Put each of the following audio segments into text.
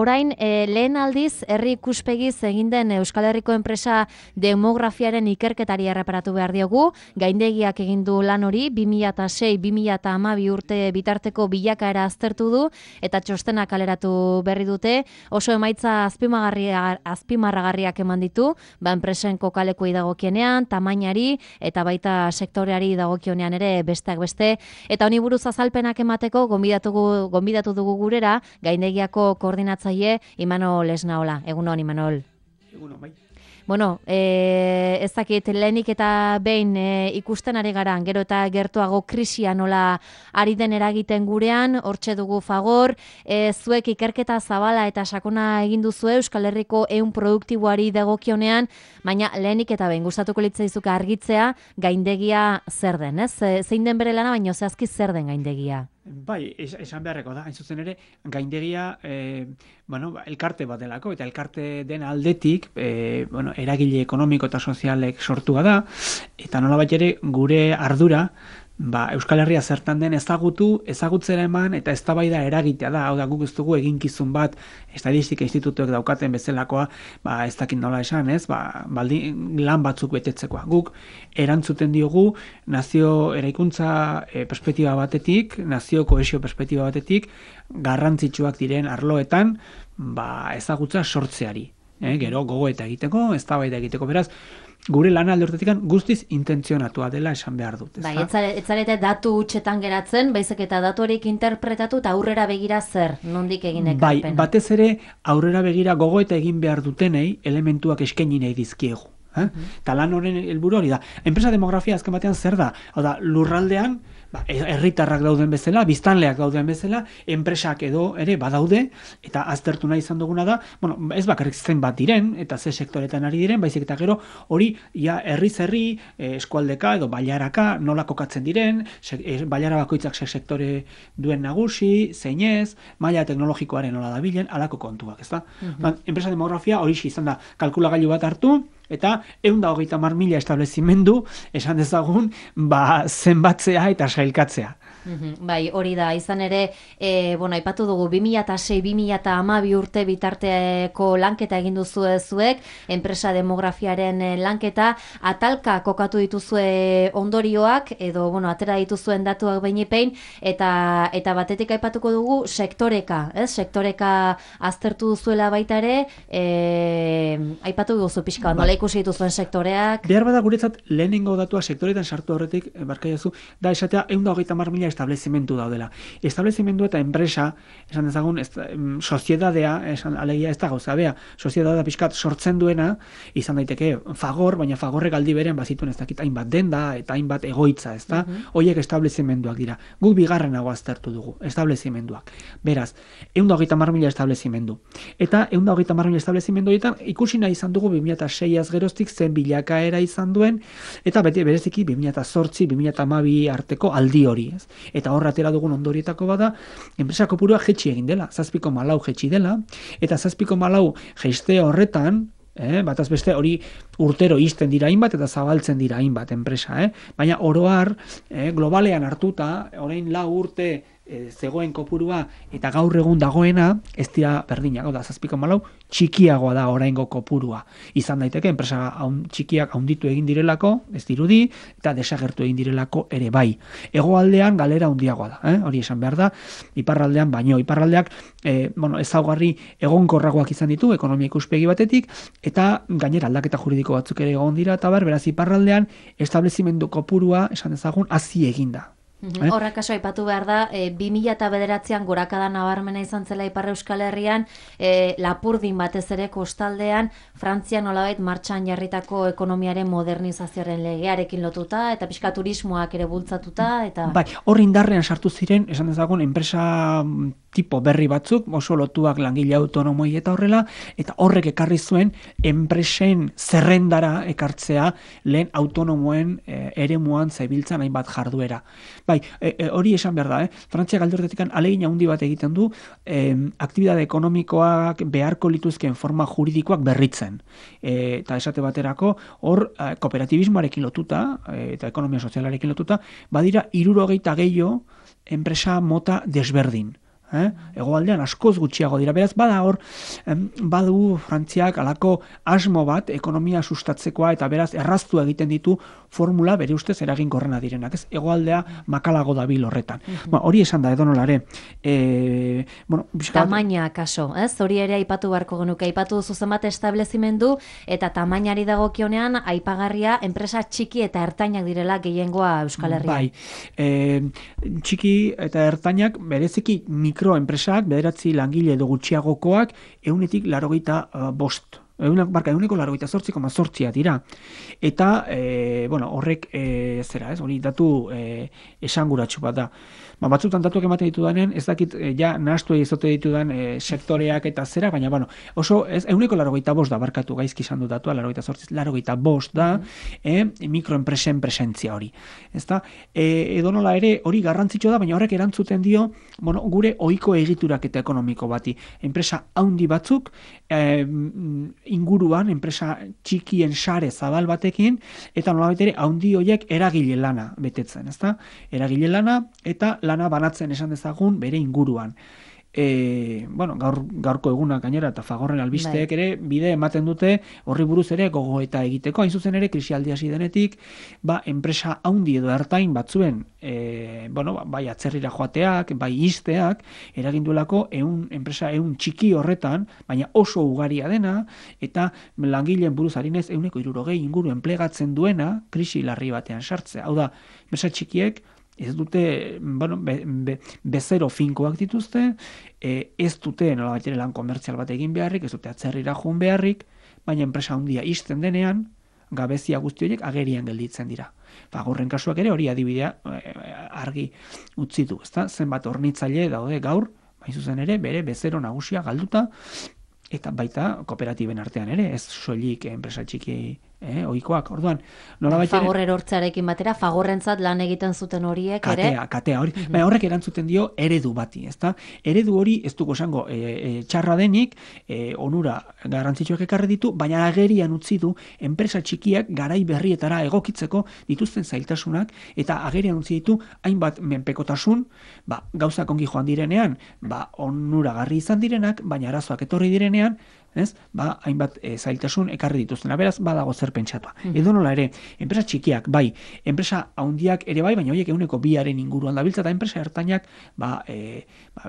Orain, lehen aldiz, herri ikuspegiz egin den Euskal Herriko enpresa demografiaren ikerketari erreparatu behar diogu. Gaindegiak egin du lan hori, 2006-2012 urte bitarteko bilakaera aztertu du, eta txostena kaleratu berri dute. Oso emaitza azpimarragarriak eman ditu, enpresen kokalekuei dagokienean, tamainari, eta baita sektoreari dagokionean ere besteak beste. Eta honi buruz azalpenak emateko, gonbidatu dugu gurera, Gaindegiako koordinatzaile Imanol Esnaola. Egunon, Imanol. Egunon, bai. Bueno, ez dakit, lehenik eta behin ikusten ari gara, gero eta gertuago krisia nola ari den eragiten gurean, hortxe dugu Fagor, zuek ikerketa zabala eta sakona egin duzu Euskal Herriko ehun produktiboari dagokionean, baina lehenik eta behin gustatuko litzaizuke argitzea Gaindegia zer den, ez? Zein den bere lana, baina zehazki zer den Gaindegia? Bai, esan beharreko da, hain zuzen ere, Gaindegia elkarte bat delako, eta elkarte den aldetik eragile ekonomiko eta sozialek sortua da, eta nolabait ere gure ardura Euskal Herria zertan den ezagutzera eman eta eztabaida eragitea da. Hau da, guk ez dugu eginkizun bat estadistika institutuek daukaten bezalakoa, ez dakit nola esan, ez? Lan batzuk betetzekoa. Guk erantzuten diogu nazio eraikuntza perspektiba batetik, nazio kohesio perspektiba batetik, garrantzitsuak diren arloetan ezagutza sortzeari. Gero gogoeta egiteko, eztabaida egiteko, beraz, gure lana alde horretatik guztiz intentzionatua dela esan behar dut. Bai, etzarete datu hutsetan geratzen, baizik eta datu horiek interpretatu eta aurrera begira zer, nondik egin ekarpena. Bai, batez ere aurrera begira gogoeta egin behar dutenei elementuak eskaini nahi dizkiegu. Eta lan horren helburu hori da. Enpresa demografia azken batean zer da? Hau da, lurraldean, herritarrak dauden bezala, biztanleak dauden bezala, enpresak edo ere badaude, eta aztertu nahi izan duguna da, ez bakarrik zenbat diren, eta ze sektoretan ari diren, baizik eta gero hori herri, eskualdeka edo bailaraka nola kokatzen diren, bailara bakoitzak sektore duen nagusi, zeinez, maila teknologikoaren nola dabilen, alako kontuak, ez da? Enpresa demografia hori izan da, kalkulagailu bat hartu, eta 130.000 establezimendu esan dezagun zenbatzea eta sailkatzea. Bai, hori da, izan ere, aipatu dugu 2006-2012 urte bitarteko lanketa egin duzue zuek, enpresa demografiaren lanketa, atalka kokatu dituzue ondorioak, edo, atera dituzuen datuak behinepein, eta batetik aipatuko dugu sektoreka, sektoreka aztertu duzuela baita ere, aipatu duzu pixka, nola ikusi dituzuen sektoreak? Behar bada guretzat lehenengo datua sektoretan sartu horretik, barkaiazu, da esatea 130.000 establezimendu daudela. Establezimendu eta enpresa, esan dezagun, soziedadea, alegia ez da gauza, soziedadea pixkat sortzen duena, izan daiteke Fagor, baina Fagorrek aldi beren bazituen ez dakit hainbat denda eta hainbat egoitza, ez da? Horiek establezimenduak dira. Guk bigarrenago aztertu dugu, establezimenduak. Beraz, 130.000 establezimendu. Eta 130.000 establezimendu horietan ikusi nahi izan dugu 2006az geroztik zen bilakaera izan duen, eta bereziki 2008-2012 arteko aldi hori, ez? Eta horra atera dugun ondorietako bada, enpresa kopurua jetxi egin dela, 7,4 jetxi dela, eta 7,4 jeiste horretan, bataz beste hori urtero izten dira hainbat eta zabaltzen dira hainbat enpresa, baina oroar, globalean hartuta, orain 4 urte zegoen kopurua eta gaur egun dagoena ez dira berdinak, da 7,4 txikiagoa da oraingo kopurua. Izan daiteke enpresa txikiak handitu egin direlako, ez dirudi, eta desagertu egin direlako ere bai. Hegoaldean galera handiagoa da, hori esan behar da, iparraldean baino, iparraldeak ezaugarri egonkorragoak izan ditu ekonomia ikuspegi batetik, eta gainera aldaketa juridiko batzuk ere egon dira, eta beraz iparraldean establezimendu kopurua esan dezagun hazi eginda. Horrak kaso aipatu behar da, 2009an gorakada nabarmena izan zela Ipar Euskal Herrian, Lapurdin batez ere kostaldean, Frantzia nolabait martxan jarritako ekonomiaren modernizazioaren legearekin lotuta, eta pixka turismoak ere bultzatuta, eta... Bai, hor indarrean sartu ziren, esan dezagun, enpresa tipo berri batzuk, oso lotuak langile autonomoi eta horrela, eta horrek ekarri zuen enpresen zerrendara ekartzea lehen autonomoen eremuan zebiltzan hainbat jarduera. Bai, hori esan behar da, Frantziak alde horretatik ahalegin handi bat egiten du aktibitate ekonomikoak beharko lituzkeen forma juridikoak berritzen. Eta esate baterako, hor kooperatibismoarekin lotuta, eta ekonomia sozialarekin lotuta, badira 60 gehiago enpresa mota desberdin. Hegoaldean askoz gutxiago dira. Beraz, bada hor, badu Frantziak alako asmo bat ekonomia sustatzekoa eta beraz erraztu egiten ditu formula bere ustez eraginkorrena direnak. Ez hegoaldea makalago dabil horretan. Hori esan da edonolare. Tamaina kaso, ez? Hori ere aipatu beharko genuke. Aipatu duzu zenbat establezimendu eta tamainari dagokionean aipagarria enpresa txiki eta ertainak direla gehiengoa Euskal Herrian. Bai, txiki eta ertainak bereziki mikroenpresak, 9 langile edo gutxiagokoak 100-85. 188,8 dira. Eta, horrek, hori datu esanguratsu bat da. Batzutan datuak ematen ditudanen, ez dakit, nahastu egizote ditudan sektoreak eta zera, baina, oso, 185 da barkatu gaizki izan du datua, 85 da, mikroenpresen presentzia hori. Edonola ere, hori garrantzitsua da, baina horrek erantzuten dio, gure ohiko egiturak eta ekonomiko bati. Enpresa haundi batzuk, inguruan, enpresa txikien sare zabal batekin, eta nolabait ere haundi horiek eragile lana betetzen, ezta? Eragile lana eta lana banatzen esan dezagun bere inguruan. Gaurko egunak gainera eta Fagorren albisteek ere bide ematen dute horri buruz ere gogoeta egiteko. Hain zuzen ere krisialdia hasi denetik, enpresa haundi edo ertain batzuen bai atzerrira joateak, bai ixteak, eraginduelako enpresa txiki horretan, baina oso ugaria dena, eta langileen buruz harinez 160 inguru enplegatzen duena krisi larri batean sartzea. Hau da, enpresa txikiek ez dute, bezero finkoak dituzte, ez dute nolabait ere lan komertzial bat egin beharrik, ez dute atzerrira joan beharrik, baina enpresa handia ixten denean, gabezia guzti horiek agerian gelditzen dira. Fagorren kasuak ere hori adibidea argi utzi du, ezta? Zenbat hornitzaile daude gaur, hain zuzen ere, bere bezero nagusia galduta, eta baita kooperatiben artean ere, ez soilik enpresa txiki ohikoak. Orduan, Fagor erortzearekin batera, Fagorrentzat lan egiten zuten horiek ere. Katea hori. Baina horrek erantzuten dio eredu bati, ezta? Eredu hori ez dugu esango txarra denik, onura garrantzitsuak ekarri ditu, baina agerian utzi du enpresa txikiak garai berrietara egokitzeko dituzten zailtasunak eta agerian utzi ditu hainbat menpekotasun, gauzak ongi joan direnean, onuragarri izan direnak, baina arazoak etorri direnean, hainbat zailtasun ekarri dituztena. Beraz, badago zer pentsatua. Edonola ere, enpresa txikiak, bai, enpresa handiak ere bai, baina horiek 2% inguruan dabiltza, eta enpresa ertainak,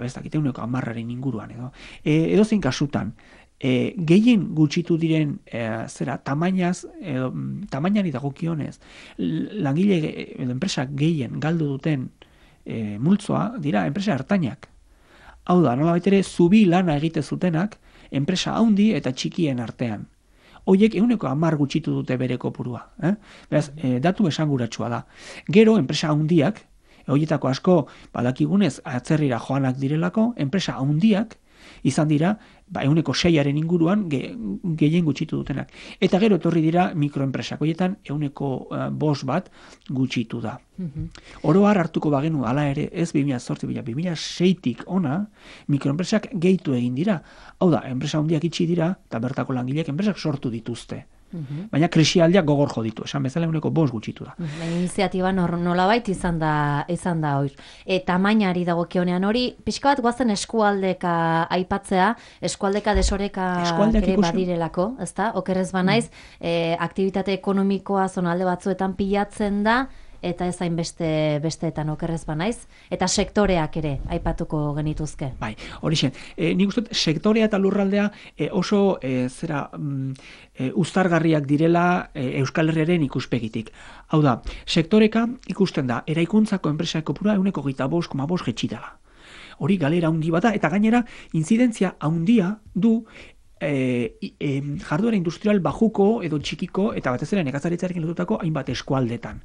bestakite 10% inguruan, edo zein kasutan, gehien gutxitu diren tamainari dagokionez, langile edo enpresa gehien galdu duten multzoa dira enpresa ertainak. Hau da, nolabait ere, zubi lana egite zutenak, enpresa haundi eta txikien artean. Hoiek 10% gutxitu dute bere kopurua. Beraz, datu esanguratsua da. Gero, enpresa haundiak, horietako asko badakigunez atzerrira joanak direlako, enpresa haundiak izan dira, 6% inguruan gehien gutxitu dutenak. Eta gero etorri dira mikroenpresak, horietan 5% bat gutxitu da. Oro har hartuko bagenu, hala ere, ez 2008-2006tik ona, mikroenpresak gehitu egin dira. Hau da, enpresa handiak itxi dira, eta bertako langileak enpresak sortu dituzte. Baina krisialdiak gogor jo ditu, esan bezala 5% gutxitu da. Iniziatiba nolabait izan da hori. Tamainari dagokionean hori, pixka bat goazen eskualdeka aipatzea, eskualdeka desoreka ere badirelako, ezta? Okerrez banaiz, aktibitate ekonomikoa zonalde batzuetan pilatzen da, eta ez hain besteetan okerrez banaiz, eta sektoreak ere aipatuko genituzke. Bai, horixe. Nik uste sektorea eta lurraldea oso uztargarriak direla Euskal Herriaren ikuspegitik. Hau da, sektoreka ikusten da, eraikuntzako enpresa kopurua 25,5 jetxitala. Hori galera handi bada, eta gainera, inzidentzia handia du jarduera industrial bajuko edo txikiko, eta batez ere nekazaritzarekin lotutako hainbat eskualdetan.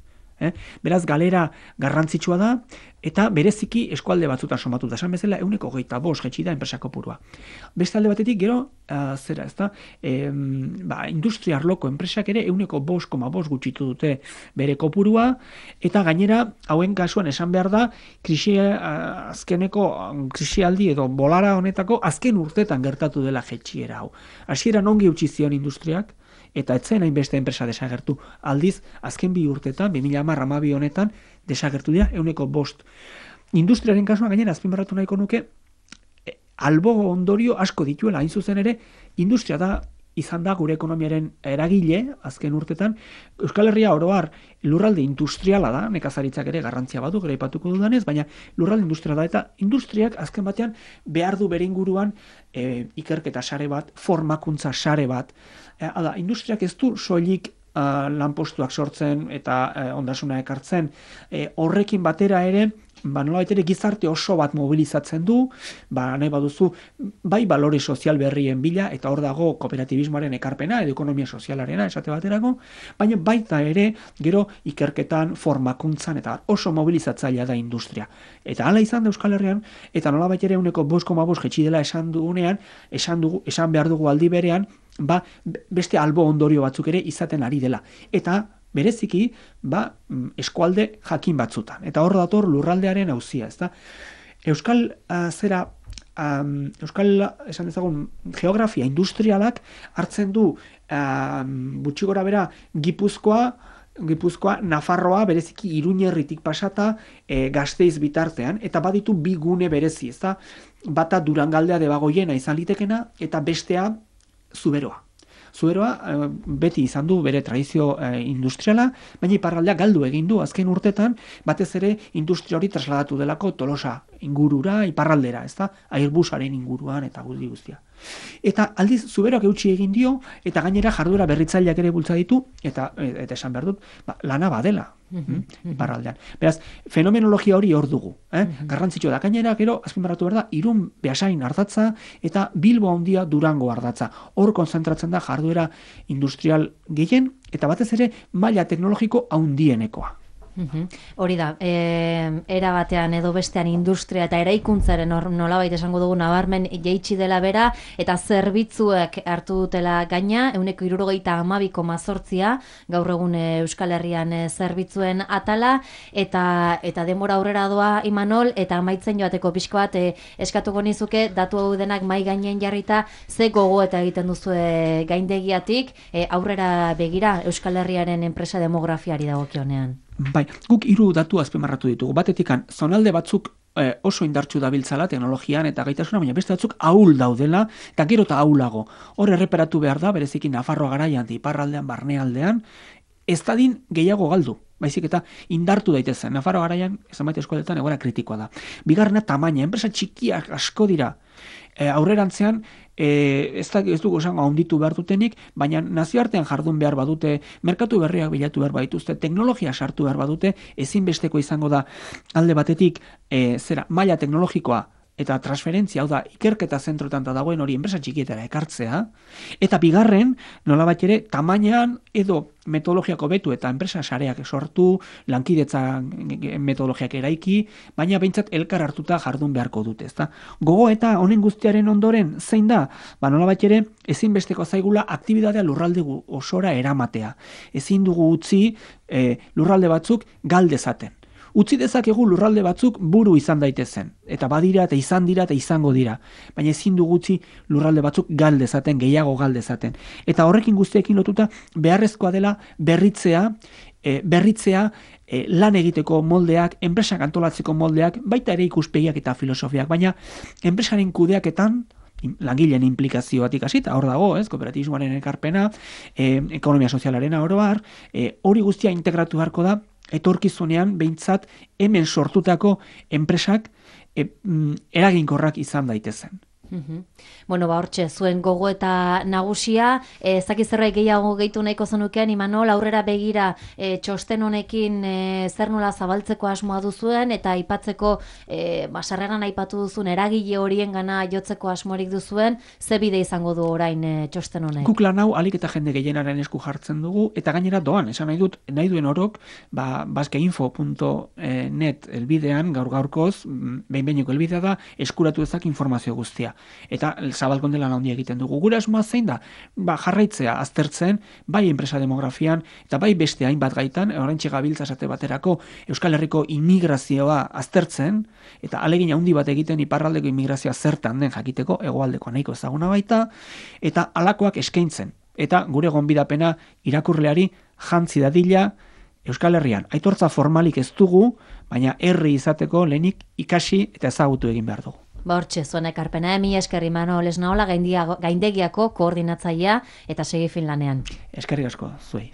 Beraz, galera garrantzitsua da, eta bereziki eskualde batzutan somatuta. Esan bezala, 25 jetxi da enpresa kopurua. Beste alde batetik, gero, industria arloko enpresak ere 5,5 gutxitu dute bere kopurua, eta gainera, hauen kasuan esan behar da, azkeneko krisialdi edo bolara honetako azken urtetan gertatu dela jetxiera hau. Hasieran ongi utzi zion industriak, eta etzen hainbeste enpresa desagertu. Aldiz, azken 2 urtetan, 2010-2012 honetan, desagertu dira 5%. Industriaren kasuan gainera azpimarratu nahiko nuke, albo ondorio asko dituela, hain zuzen ere, industria da izan da gure ekonomiaren eragile, azken urtetan, Euskal Herria oro har lurralde industriala da, nekazaritzak ere garrantzia badu, gero aipatuko dudanez, baina lurralde industriala da, eta industriak azken batean behar du bere inguruan ikerketa sare bat, formakuntza sare bat. Industriak ez du soilik lanpostuak sortzen eta ondasuna ekartzen, horrekin batera ere, nolabait ere gizarte oso bat mobilizatzen du, nahi baduzu, bai balore sozial berrien bila, eta hor dago kooperatibismoaren ekarpena, edo ekonomia sozialarena, esate baterako, baina baita ere, gero ikerketan, formakuntzan, eta oso mobilizatzailea da industria. Eta hala izan da Euskal Herrian, eta nolabait ere 5,5 jetxi dela esan dugunean, esan behar dugu aldi berean, beste albo ondorio batzuk ere izaten ari dela. Eta bereziki, eskualde jakin batzutan. Eta hor dator lurraldearen auzia, ezta? Euskal esan dezagun geografia industrialak hartzen du gutxi gora bera Gipuzkoa, Nafarroa, bereziki Iruñerritik pasata, Gasteiz bitartean, eta baditu bi gune berezi, ezta? Bata Durangaldea Debagoiena izan litekena, eta bestea Zuberoa. Zuberoa beti izan du bere tradizio industriala, baina iparraldea galdu egin du azken urtetan, batez ere industria hori trasladatu delako Tolosa ingurura, iparraldera, ezta? Airbusaren inguruan eta guztia. Eta aldiz Zuberoak eutsi egin dio, eta gainera jarduera berritzaileak ere bultza ditu, eta esan behar dut, lana badela iparraldean. Beraz, fenomenologia hori hor dugu. Garrantzitsua da, gainera gero, azpimarratu behar da, Irun Beasain ardatza, eta Bilbo handia Durango ardatza. Hor konzentratzen da jarduera industrial gehien, eta batez ere maila teknologiko handienekoa. Hori da, era batean edo bestean industria eta eraikuntzaren nolabait esango dugu nabarmen jaitsi dela bera, eta zerbitzuek hartu dutela gaina, 172,8 gaur egun Euskal Herrian zerbitzuen atala, eta denbora aurrera doa Imanol, eta amaitzen joateko pixko bat eskatuko nizuke, datu hau denak mai gainen jarrita, ze gogo eta egiten duzue gaindegiatik, aurrera begira Euskal Herriaren enpresa demografiari dagokionean. Bai, guk 3 datu azpimarratu ditugu. Batetikan, zonalde batzuk oso indartsu dabiltzala teknologian eta gaitasuna, baina beste batzuk ahul daudela, eta gero eta ahulago. Hor erreperatu behar da, bereziki Nafarroa garaian, iparraldean, barnealdean, ez dadin gehiago galdu. Baizik eta indartu daitezen. Nafarroa garaian, zenbait eskualdetan egoera kritikoa da. Bigarrena tamaina, enpresa txikiak asko dira. Aurrerantzean, ez dugu esango handitu behar dutenik, baina nazioartean jardun behar badute, merkatu berriak bilatu behar badituzte, teknologia sartu behar badute, ezinbesteko izango da alde batetik maila teknologikoa eta transferentzia, hau da, ikerketa zentroetan dagoen hori enpresa txikietara ekartzea, eta bigarren, nolabait ere, tamainan edo metodologiako betu eta enpresa sareak sortu, lankidetza metodologiak eraiki, baina behintzat elkar hartuta jardun beharko dute, ezta? Gogo eta honen guztiaren ondoren zein da? Nolabait ere, ezinbesteko zaigula aktibitatea lurralde osora eramatea. Ezin dugu utzi lurralde batzuk galdezaten. Utzi dezakegu lurralde batzuk buru izan daitezen, eta badira eta izan dira eta izango dira, baina ezin dugu utzi lurralde batzuk galdezaten, gehiago galdezaten. Eta horrekin guztiekin lotuta beharrezkoa dela berritzea lan egiteko moldeak, enpresak antolatzeko moldeak, baita ere ikuspegiak eta filosofiak, baina enpresaren kudeaketan, langileen implikazioatik hasita, hor dago, kooperatibismoaren ekarpena, ekonomia sozialarena oro har, hori guztia integratu beharko da, etorkizunean behintzat hemen sortutako enpresak eraginkorrak izan daitezen. Bueno, hortxe, zuen gogo eta nagusia, ezakit zerbait gehiago gehitu nahiko zenukean, Imanol, aurrera begira txosten honekin zer nola zabaltzeko asmoa duzuen, eta aipatzeko, sarreran aipatu duzuen eragile horien gana jotzeko asmorik duzuen, ze bide izango du orain txosten honek? Guk lan hau alik eta jende gehienaren esku jartzen dugu, eta gainera doan, esan nahi duen orok, baskeinfo.net elbidean, gaurkoz, behin-behineko elbidea da, eskuratu ezak informazio guztia. Eta zabalkonde lan handia egiten dugu. Gure asmoa zein da? Jarraitzea aztertzen, bai enpresa demografian, eta bai beste hainbat gaitan, oraintxe gabiltza esate baterako Euskal Herriko immigrazioa aztertzen, eta alegin handi bat egiten iparraldeko immigrazioa zertan den jakiteko, hegoaldeko nahiko ezaguna baita, eta halakoak eskaintzen. Eta gure gonbidapena irakurleari jantzi dadila Euskal Herrian. Aitortza formalik ez dugu, baina herri izateko lehenik ikasi eta ezagutu egin behar dugu. Hortxe, zuen ekarpena, mi esker Imanol Esnaola gaindegiako koordinatzailea eta segi fin lanean. Eskerrik asko, zuei.